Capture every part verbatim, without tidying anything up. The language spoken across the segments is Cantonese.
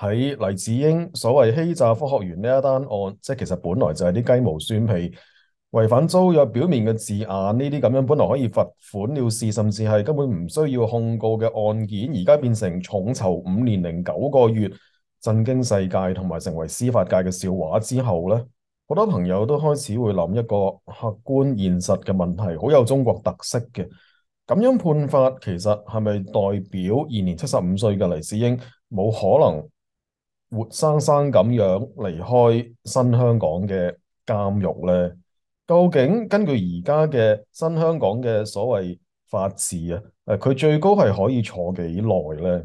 喺黎智英所謂欺詐科學園呢一單案，即係其實本來就係啲雞毛蒜皮、違反租約表面嘅字眼，呢啲咁樣本來可以罰款了事，甚至係根本唔需要控告嘅案件，而家變成重囚五年零九個月，震驚世界同埋成為司法界嘅笑話之後呢，好多朋友都開始會諗一個客觀現實嘅問題，好有中國特色嘅。咁樣判法其實係咪代表現年七十五歲嘅黎智英冇可能活生生咁樣離開新香港嘅監獄呢？究竟根據而家嘅新香港嘅所謂法治啊，誒佢最高係可以坐幾耐呢？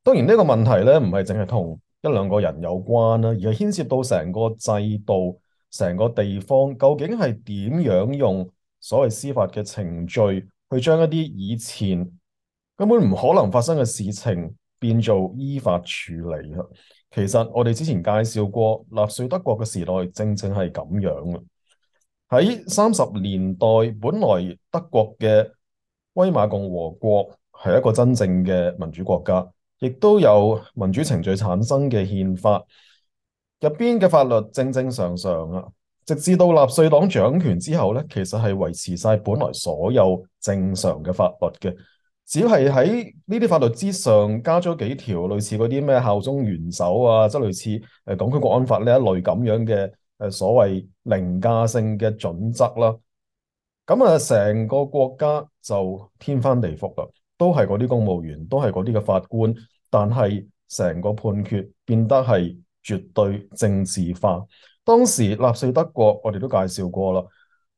當然呢個問題咧唔係淨係同一兩個人有關啦，而係牽涉到成個制度、成個地方究竟係點樣用所謂司法嘅程序去將一啲以前根本唔可能發生嘅事情變做依法處理啊。其實我哋之前介紹過納粹德國嘅時代，正正係咁樣嘅。喺三十年代，本來德國嘅威瑪共和國係一個真正嘅民主國家，亦都有民主程序產生嘅憲法，入邊嘅法律正正常常啊。直至到納粹黨掌權之後咧，其實係維持晒本來所有正常嘅法律嘅，只係喺呢啲法律之上加咗幾條類似嗰啲咩效忠元首啊，即係類似誒《港區國安法》呢一類咁樣嘅誒所謂凌駕性嘅準則啦。咁啊，成個國家就天翻地覆啦，都係嗰啲公務員，都係嗰啲嘅法官，但係成個判決變得係絕對政治化。當時納粹德國我哋都介紹過啦，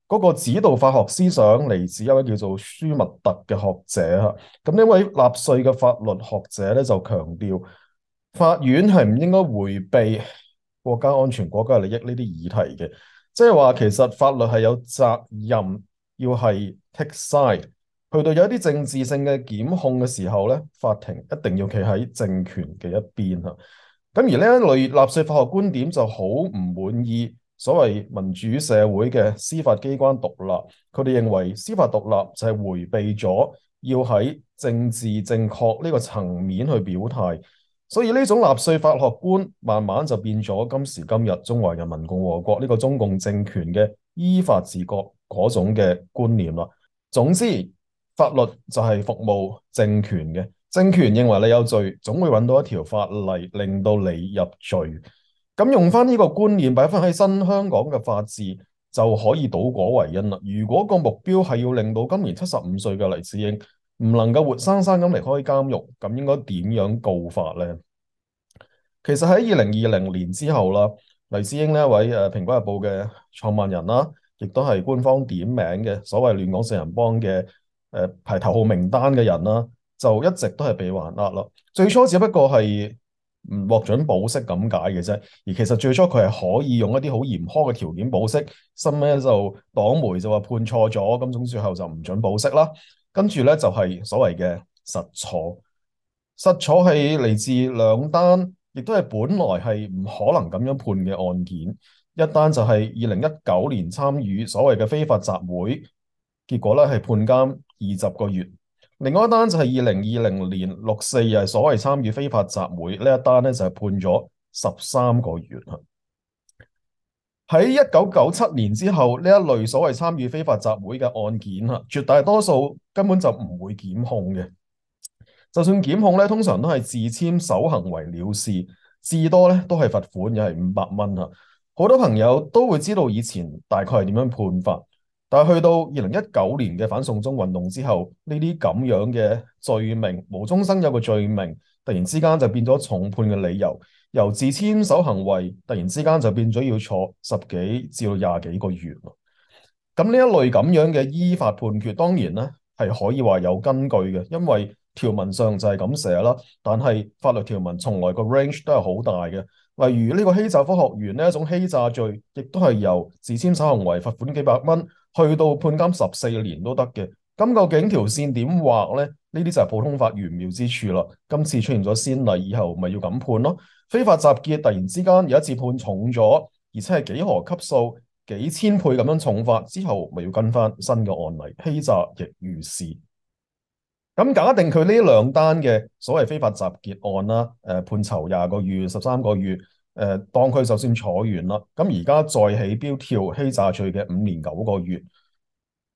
嗰個指導法學思想嚟自一位叫做舒密特嘅學者嚇。咁呢位納粹嘅法律學者咧就強調，法院係唔應該迴避國家安全、國家利益呢啲議題嘅，即係話其實法律係有責任要係 take side，去到有一啲政治性嘅檢控嘅時候咧，法庭一定要企喺政權嘅一邊嚇。咁而呢一類納粹法學觀點就好唔滿意所謂民主社會嘅司法機關獨立，佢哋認為司法獨立就係迴避咗要喺政治正確呢個層面去表態，所以呢種納粹法學觀慢慢就變咗今時今日中華人民共和國呢個中共政權嘅依法治國嗰種嘅觀念啦。總之，法律就係服務政權嘅。政權認為你有罪，總會揾到一條法例令到你入罪。咁用翻呢個觀念擺翻喺新香港嘅法治，就可以倒果為因啦。如果個目標係要令到今年七十五歲嘅黎智英唔能夠活生生咁離開監獄，咁應該點樣告法呢？其實喺二零二零年之後啦，黎智英呢一位誒《蘋果日報》嘅創辦人啦，亦都係官方點名嘅所謂亂港四人幫嘅誒排頭號名單嘅人啦，就一直都係被還押啦。最初只不過係唔獲准保釋咁解嘅啫，而其實最初佢係可以用一啲好嚴苛嘅條件保釋，後尾就黨媒就話判錯咗，咁總最後就唔准保釋啦。跟住咧就係所謂嘅實坐，實坐係嚟自兩單，亦都係本來係唔可能咁樣判嘅案件。一單就係二零一九年參與所謂嘅非法集會，結果咧係判監二十個月。另外一單就係二零二零年六四日所謂參與非法集會呢一單咧就係判咗十三個月。喺一九九七年之後，呢一類所謂參與非法集會嘅案件啊，絕大多數根本就唔會檢控嘅。就算檢控咧，通常都係自簽守行為了事，至多咧都係罰款，又係五百蚊啊。好多朋友都會知道以前大概係點樣判法，但係去到二零一九年嘅反送中運動之後，呢啲咁樣嘅罪名，無中生有嘅罪名，突然之間就變咗重判嘅理由，由自簽守行為突然之間就變咗要坐十幾至到廿幾個月。咁呢一類咁樣嘅依法判決，當然咧係可以話有根據嘅，因為條文上就係咁寫啦。但係法律條文從來個 range 都係好大嘅。例如呢個欺詐科學園呢一種欺詐罪，亦都係由自簽守行為罰款幾百蚊，去到判監十四年都得嘅。咁究竟條線點畫呢？呢啲就係普通法玄妙之處啦。今次出現咗先例，以後咪要咁判咯。非法集結突然之間有一次判重咗，而且係幾何級數、幾千倍咁樣重罰之後，咪要跟翻新嘅案例，欺詐亦如是。咁假定佢呢兩單嘅所謂非法集結案啦，誒、判囚廿個月、十三個月，誒、當佢就算坐完啦，咁而家再起標跳欺詐罪嘅五年九個月。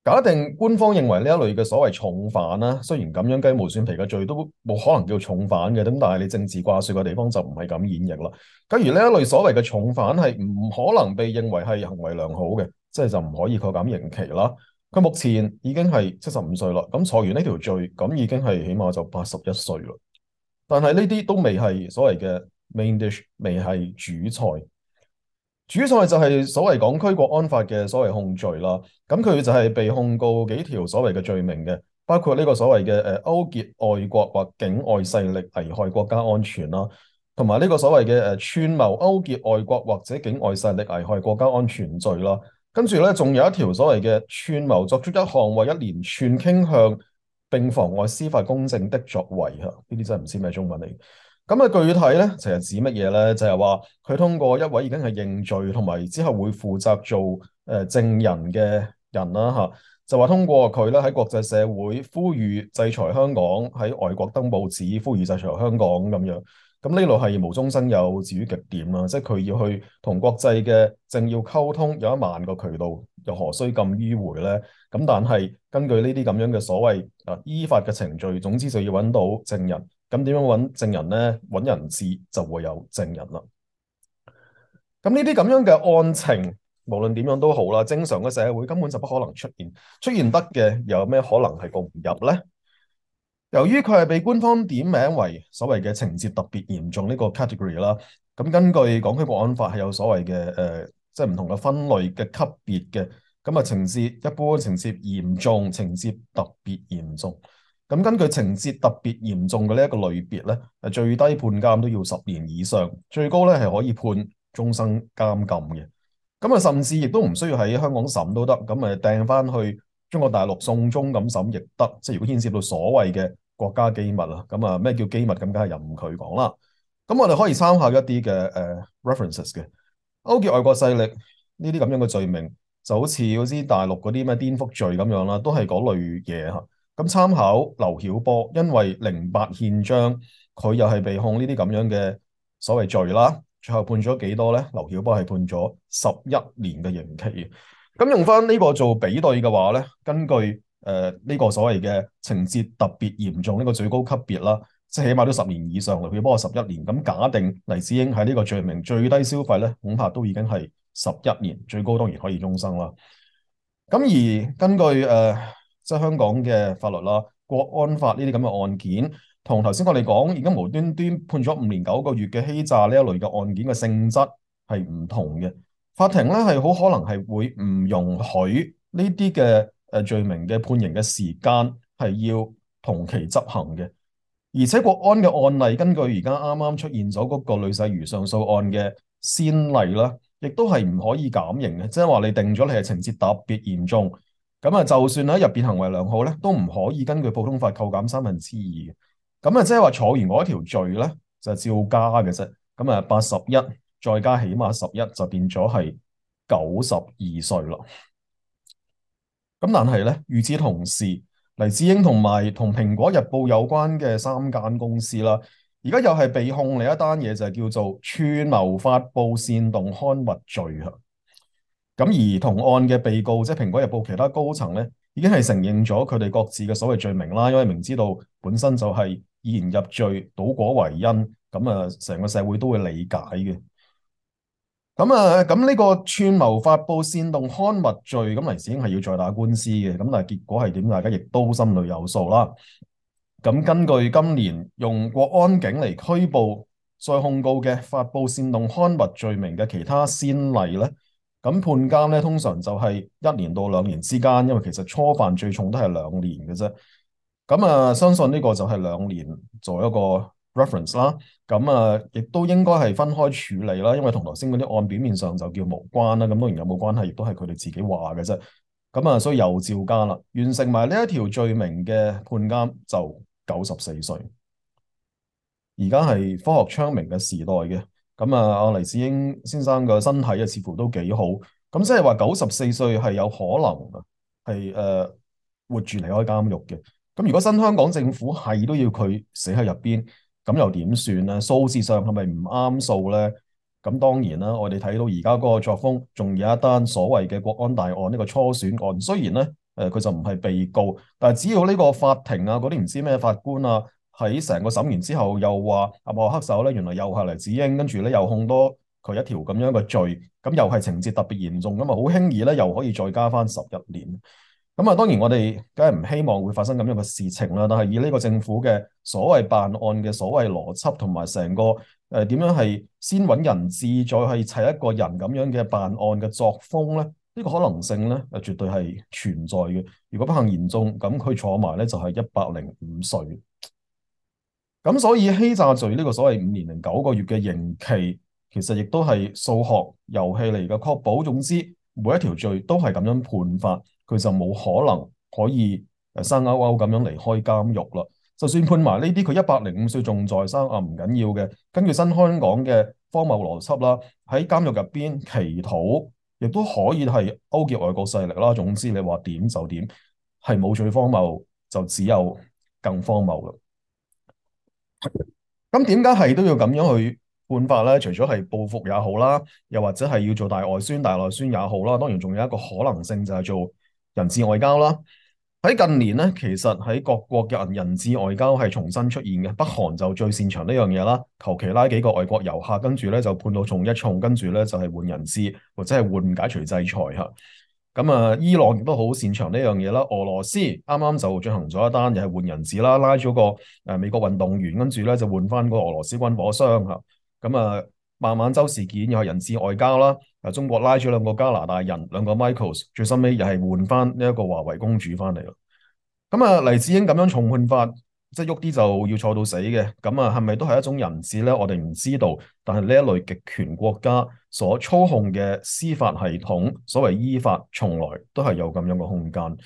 假定官方認為呢一類嘅所謂重犯啦，雖然咁樣雞毛蒜皮嘅罪都冇可能叫重犯嘅，咁但係你政治掛帥嘅地方就唔係咁演繹啦。假如呢一類所謂嘅重犯係唔可能被認為係行為良好嘅，即係就唔可以扣減刑期啦。佢目前已經係七十五歲啦，咁坐完呢條罪，咁已經係起碼就八十一歲啦。但係呢啲都未係所謂嘅 main dish，未係主菜。主菜就係所謂港區國安法嘅所謂控罪啦，咁佢就係被控告幾條所謂嘅罪名嘅，包括呢個所謂嘅誒勾結外國或境外勢力危害國家安全啦，同埋呢個所謂嘅誒串謀勾結外國或者境外勢力危害國家安全罪啦。跟住咧，仲有一條所謂嘅串謀作出一項或一連串傾向並妨礙司法公正的作為嚇，呢啲真係唔知咩中文嚟。咁啊，具體咧，其實指乜嘢咧？就係話佢通過一位已經係認罪同埋之後會負責做誒、呃、證人嘅人啦嚇，就話通過佢咧喺國際社會呼籲制裁香港，喺外國登報紙呼籲制裁香港咁樣。咁呢度係無中生有，至於極點啦，即係佢要去同國際嘅政要溝通，有一萬個渠道，又何須咁迂迴咧？咁但係根據呢啲咁樣嘅所謂啊依法嘅程序，總之就要揾到證人。咁點樣揾證人呢？揾人質就會有證人啦。咁呢啲咁樣嘅案情，無論點樣都好啦，正常嘅社會根本就不可能出現，出現得嘅又有咩可能係告唔入呢？由於佢係被官方點名為所謂嘅情節特別嚴重呢個 category 啦，咁根據港區國安法係有所謂嘅誒，即係唔同嘅分類嘅級別嘅，咁啊情節一般、情節嚴重、情節特別嚴重。咁根據情節特別嚴重嘅呢一個類別咧，誒最低判監都要十年以上，最高咧係可以判終身監禁嘅。咁啊，甚至亦都唔需要喺香港審都得，咁誒掟翻去中國大陸送中咁審亦得。即係如果牽涉到所謂嘅國家機密啦，咁啊咩叫機密咁，梗係任佢講啦。咁我哋可以參考一啲嘅誒 references 嘅勾結外國勢力呢啲咁樣嘅罪名，就好似嗰啲大陸嗰啲咩顛覆罪咁樣啦，都係嗰類嘢嚇。咁參考劉曉波，因為零八憲章，佢又係被控呢啲咁樣嘅所謂罪啦，最後判咗幾多咧？劉曉波係判咗十一年嘅刑期。咁用翻呢個做比對嘅話咧，根據誒呢、呃這個所謂嘅情節特別嚴重呢個最高級別啦，即係起碼都十年以上。劉曉波係十一年，咁假定黎智英喺呢個罪名最低消費咧，恐怕都已經係十一年，最高當然可以終生啦。咁而根據誒，呃即係香港嘅法律啦，國安法呢啲咁嘅案件，同頭先我哋講而家無端端判咗五年九個月嘅欺詐呢一類嘅案件嘅性質係唔同嘅。法庭咧係好可能係會唔容許呢啲嘅誒罪名嘅判刑嘅時間係要同期執行嘅。而且國安嘅案例，根據而家啱啱出現咗嗰個呂世瑜上訴案嘅先例啦，亦都係唔可以減刑嘅，即係話你定咗你係情節特別嚴重。咁啊，就算喺入邊行為良好咧，都唔可以根據普通法扣減三分之二嘅。咁啊，即係話坐完嗰一條罪咧，就照加嘅啫。咁啊，八十一再加起碼十一，就變咗係九十二歲啦。咁但係咧，與此同時，黎智英同埋同蘋果日報有關嘅三間公司啦，而家又係被控另一單嘢，就係叫做串謀發布煽動刊物罪啊。咁而同案嘅被告，即係蘋果日報其他高層咧，已經係承認咗佢哋各自嘅所謂罪名啦，因為明知道本身就係以言入罪，倒果為因，咁啊成個社會都會理解嘅。咁啊，咁呢個串謀發布煽動刊物罪，咁黎智英係要再打官司嘅，咁但係結果係點？大家亦都心裏有數啦。咁根據今年用國安警嚟拘捕再控告嘅發布煽動刊物罪名嘅其他先例咧。咁判監咧，通常就係一年到兩年之間，因為其實初犯最重都係兩年嘅啫。咁啊，相信呢個就係兩年做一個 reference 啦。咁啊，亦都應該係分開處理啦，因為同頭先嗰啲案表面上就叫無關啦。咁當然有冇關係，亦都係佢哋自己話嘅啫。咁啊，所以又照加啦，完成埋呢一條罪名嘅判監就九十四歲。而家係科學昌明嘅時代嘅。咁啊，阿黎智英先生嘅身體啊，似乎都幾好。咁即係話九十四歲係有可能係誒、呃、活住離開監獄嘅。咁如果新香港政府係都要佢死喺入邊，咁又點算咧？數字上係咪唔啱數咧？咁當然啦，我哋睇到而家嗰個作風，仲有一單所謂嘅國安大案呢個初選案，雖然咧誒佢就唔係被告，但係只要呢個法庭啊嗰啲唔知咩法官啊喺成個審完之後，又話阿幕後黑手咧原來又係黎智英，跟住咧又控多佢一條咁樣嘅罪，咁又係情節特別嚴重，咁啊好輕易咧又可以再加翻十一年。咁啊，當然我哋梗係唔希望會發生咁樣嘅事情啦。但係以呢個政府嘅所謂辦案嘅所謂邏輯同埋成個誒點樣係先揾人質，再去砌一個人咁樣嘅辦案嘅作風咧，呢個可能性咧誒絕對係存在嘅。如果不幸言中，咁佢坐埋咧就係一百零五歲。咁所以欺詐罪呢個所謂五年零九個月嘅刑期，其實亦都係數學遊戲嚟嘅，確保總之每一條罪都係咁樣判法。佢就冇可能可以誒生勾勾咁樣離開監獄啦。就算判埋呢啲，佢一百零五歲仲在生啊，唔緊要嘅。根據新香港嘅荒謬邏輯啦，喺監獄入邊祈禱，亦都可以係勾結外國勢力啦。總之你話點就點，係冇最荒謬，就只有更荒謬啦。咁點解係都要咁樣去判法咧？除咗係報復也好啦，又或者係要做大外宣、大內宣也好啦，當然仲有一個可能性就係做人質外交啦。喺近年咧，其實喺各國嘅人人質外交係重新出現嘅。北韓就最擅長呢樣嘢啦，求其拉幾個外國遊客，跟住咧就判到重一重，跟住咧就係換人質或者係換解除制裁嚇。咁啊，伊朗亦都好擅長呢樣嘢啦。俄羅斯啱啱就進行咗一單，又係換人質啦，拉咗個誒美國運動員，跟住咧就換翻個俄羅斯軍火商嚇。咁啊，孟晚舟事件又係人質外交啦。誒，中國拉咗兩個加拿大人，兩個 Michaels，最深尾又係換翻呢一個華為公主翻嚟咯。咁啊，黎智英咁樣重判法，即係喐啲就要坐到死嘅。咁啊，係咪都係一種人質咧？我哋唔知道。但係呢一類極權國家所操控嘅司法系統，所謂依法，從來都係有咁樣嘅空間。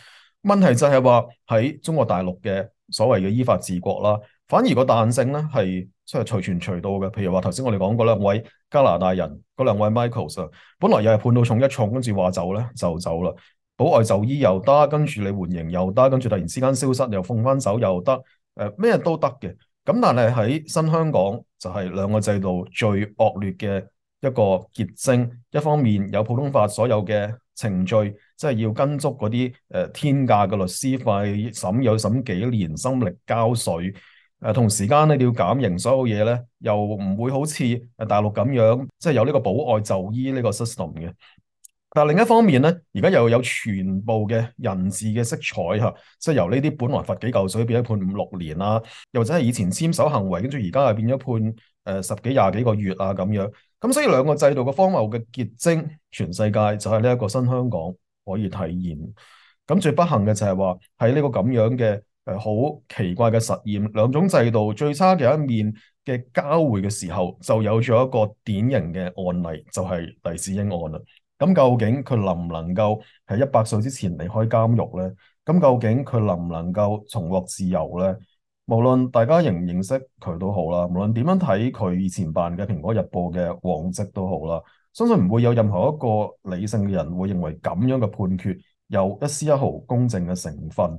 問題就係話喺中國大陸嘅所謂嘅依法治國啦，反而個彈性咧係即係隨傳隨到嘅。譬如話頭先我哋講過兩位加拿大人，嗰兩位 Michaels 啊，本來又係判到重一重，跟住話走咧就走啦。保外就醫又得，跟住你緩刑又得，跟住突然之間消失又放翻手又得，誒、呃、咩都得嘅。咁但係喺新香港就係兩個制度最惡劣嘅一個結晶。一方面有普通法所有嘅程序，即係要跟足嗰啲誒天價嘅律師費，審有審幾年，心力交瘁。誒、呃、同時間咧你要減刑，所有嘢咧又唔會好似誒大陸咁樣，即係有呢個保外就醫呢個 system 嘅。但另一方面咧，而家又有全部嘅人質嘅色彩嚇，即係由呢啲本來罰幾嚿水變咗判五六年啦，又或者係以前簽守行為，跟住而家係變咗判誒、呃、十幾廿幾個月啊咁樣。咁所以兩個制度嘅荒謬嘅結晶，全世界就係呢一個新香港可以體現。咁最不幸嘅就係話喺呢個咁樣嘅誒好奇怪嘅實驗，兩種制度最差嘅一面嘅交匯嘅時候，就有咗一個典型嘅案例，就係、是、黎智英案啦。咁究竟佢能唔能夠喺一百歲之前離開監獄咧？咁究竟佢能唔能夠重獲自由咧？無論大家認唔認識佢都好啦，無論點樣睇佢以前辦嘅《蘋果日報》嘅往績都好啦，相信唔會有任何一個理性嘅人會認為咁樣嘅判決有一絲一毫公正嘅成分。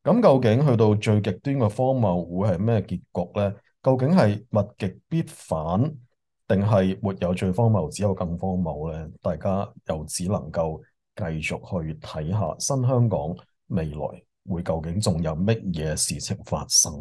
咁究竟去到最極端嘅荒謬會係咩結局咧？究竟係物極必反，定係沒有最荒謬，只有更荒謬咧？大家又只能夠繼續去睇下新香港未來會究竟仲有乜嘢事情發生。